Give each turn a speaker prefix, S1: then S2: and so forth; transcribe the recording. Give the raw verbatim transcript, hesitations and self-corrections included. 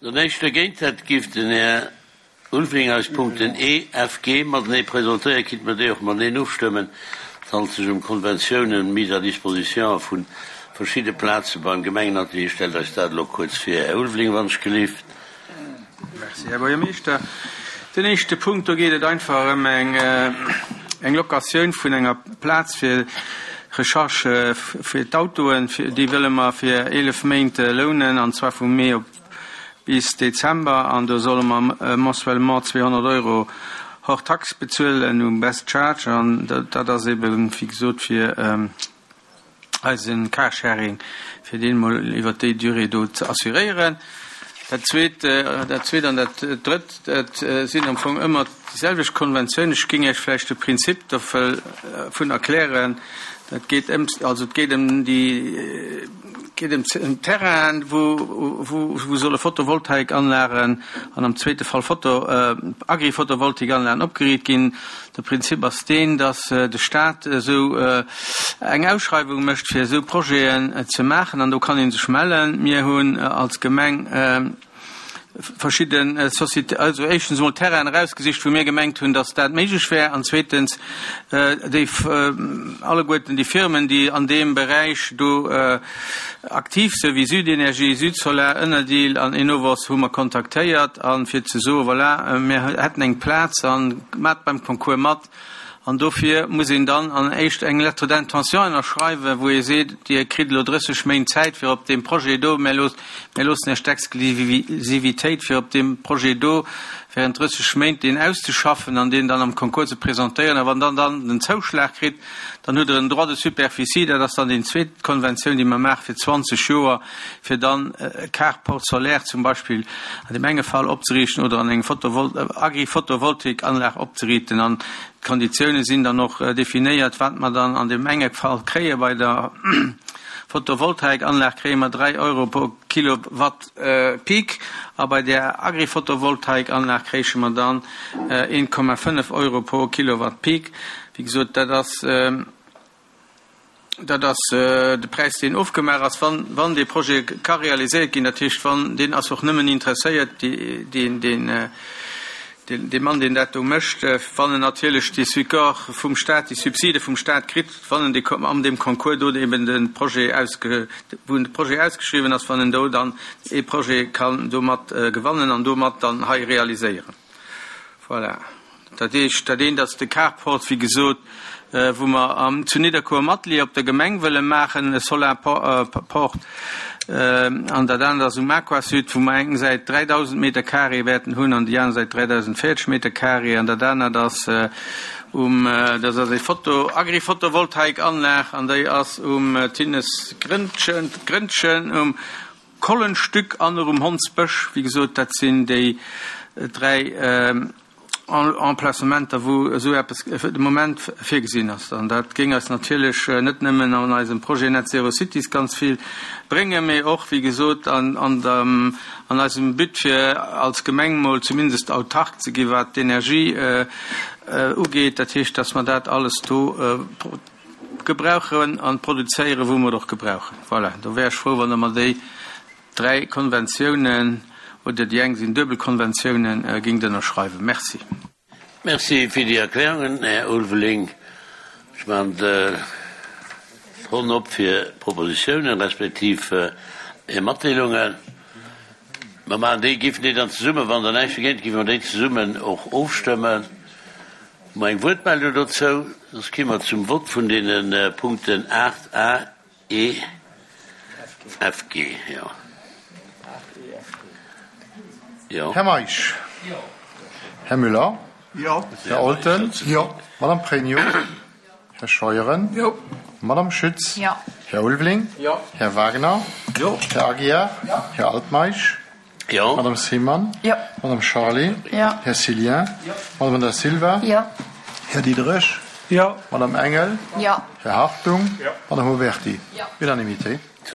S1: Der näischt dergéint hätt, géif den Här Ulveling eis d'Punkten E, F, G matenee presentéieren, kinnt mer déi och mateneen ofstëmmen. Et handelt sech ëm Konventiounen, Mise à disposition vu verschidde Plaze beim Gemengenatelier. Stellt eis dat elo kuerz vir, Här Ulveling, wann ech gelift.
S2: Merci, Här Buergermeeschter. Den éischte Punkt, do geet et einfach ëm eng, eng Locatioun vun enger Plaz fir Recharge fir d'Autoen. Déi wëlle mer fir eelef Méint lounen, an zwar vu Mee op bis Dezember, an do solle mer mensuellement zweehonnert Euro hors taxe bezuelen um Best Charge, an dat ass eben, wéi gesot, fir eise Carsharing, fir deen mol iwwert déi Durée do ze assuréieren. Dat Zweet, dat Zweet an dat Drëtt, dat sinn am Fong ëmmer déi selwecht Konventioun. Ech géing Iech vläicht de Prinzip dovun erklären. Dat geet ëm, also et geet ëm déi, geet ëm Terrainen, wou, wou, wou solle Photovoltaikanlagen an am zweete Fall Photo, Agri-Photovoltaikanlagen opgeriicht ginn. De Prinzip ass deen, dass de Staat esou eng Ausschreiwung mécht, fir esou Projeten ze maachen, an do kann ee sech mellen. Mir hunn als Gemeng verschidde Société, also éischtens emol Terrainen erausgesicht, wou mir gemengt hunn, dass dat méiglech wär, an zweetens déi alleguerten déi Firmen, déi an deem Beräich do aktiv sinn, wéi Südenergie, Südsolar, Enerdeal an Enovos, hu mer kontaktéiert, a fir ze soen, voilà, mir hätten eng Plaz a maacht beim Concours mat. An dofir muss een dann an éischt eng Lettre d'intention ënnerschreiwen, wou ee seet, Dir kritt elo drësseg Méint Zäit fir op deem Projet do, mir loossen Iech d'Exklusivitéit fir op deem Projet do während drësseg Méint deen auszeschaffen an deen dann am Concours ze presentéieren. A wann Der dann den Zouschlag kritt, dann hutt Der en Droit de superficie, dat ass dann déi zweet Konventioun, déi mer maache fir zwanzeg Joer, fir dann e Carport solaire zum Beispill an deem enge Fall opzeriichten oder an eng Agri-Photovoltaikanlag opzeriichten. An d'Konditioune sinn dann och definéiert, wat mer dann an deem enge Fall kréie. Bei der Photovoltaikanlag kréie mer dräi Euro pro Kilowatt Peak a bei der Agri-Photovoltaikanlag kréiche mer dann een Komma fënnef Euro pro Kilowatt Peak. Wéi gesot, dat ass dat ass de Präis, deen ofgemaach ass, wann wann dee Projet ka realiséiert ginn. Dat heescht, wann deen ass och nëmmen interesséiert, deen deen dee Mann, deen dat do mécht, wann en natierlech dee Support vum Staat, déi Subside vum Staat kritt, wann en dee an deem Concours do eben de Projet ausge, wou de Projet ausgeschriwwen ass, wann en do dann ee Projet kann domat gewannen an domat dann hei realiséieren. Voilà. Dat heescht, dat eent ass de Carport, wéi gesot, wou mer am, zu Nidderkuer am Atelier op der Gemeng wëlle maachen, e Solarport. An dat anert ass um Aquasud, wou mer eng Säit dräidausend Meter carré wäerten hunn an déi aner Säit dräidausendvéierzeg Meter carré. An dat anert ass um, dat ass eng Photo, Agri-Photovoltaikanlag an déi ass um Tinnes Grëndchen, Grëndchen, um Kollenstück an och um Hondsbësch. Wéi gesot, dat sinn déi dräi Emplacementer, wou esou eppes fir de Moment virgesinn ass. An dat géing eis natierlech net nëmmen an eisem Projet Net Zero Cities ganz vill bréngen, mee och, wéi gesot, an, an dem, an eisem But fir als Gemeng mol zumindest autark ze gi wat d'Energie ugeet. Dat heescht, dass mer dat alles do gebrauchen an produzéieren, wou mer et och gebrauchen. Voilà, do wär ech frou, wann Der mer déi dräi Konventiounen, oder déi eng sinn duebel Konventiounen, géingt ënnerschreiwen. Merci.
S1: Merci fir déi Erklärungen, Här Ulveling. Ech maachen d'Ronn op fir Propositiounen respektiv Är Matdeelungen. Mer maachen déi, géifen déi dann zesummen, wann Der näischt dergéint hutt, géife mer déi zesummen och ofstëmmen. Hu mer eng Wuertmeldung dozou? Soss gi mer zum Vott vun deene Punkten aacht a, E, F, G. Jo. Jo.
S3: Här Meisch. Här Müller.
S4: Jo.
S3: Här Olten.
S4: Jo.
S3: Madame Pregno. Här Scheuren.
S4: Jo.
S3: Madame Schütz.
S5: Jo.
S3: Här Ulveling.
S4: Jo.
S3: Här Wagner.
S4: Jo.
S3: Här Aguiar.
S4: Jo.
S3: Här Altmeisch.
S1: Jo.
S3: Madame Seemann.
S5: Jo.
S3: Madame Charlé.
S5: Jo.
S3: Här Cillien.
S4: Jo.
S3: Madame Da Silva.
S5: Jo.
S3: Här Diderich.
S4: Jo.
S3: Madame Engel.
S5: Jo.
S3: Här Hartung.
S4: Jo.
S3: Madame Oberti.
S5: Jo.
S3: Unanimité.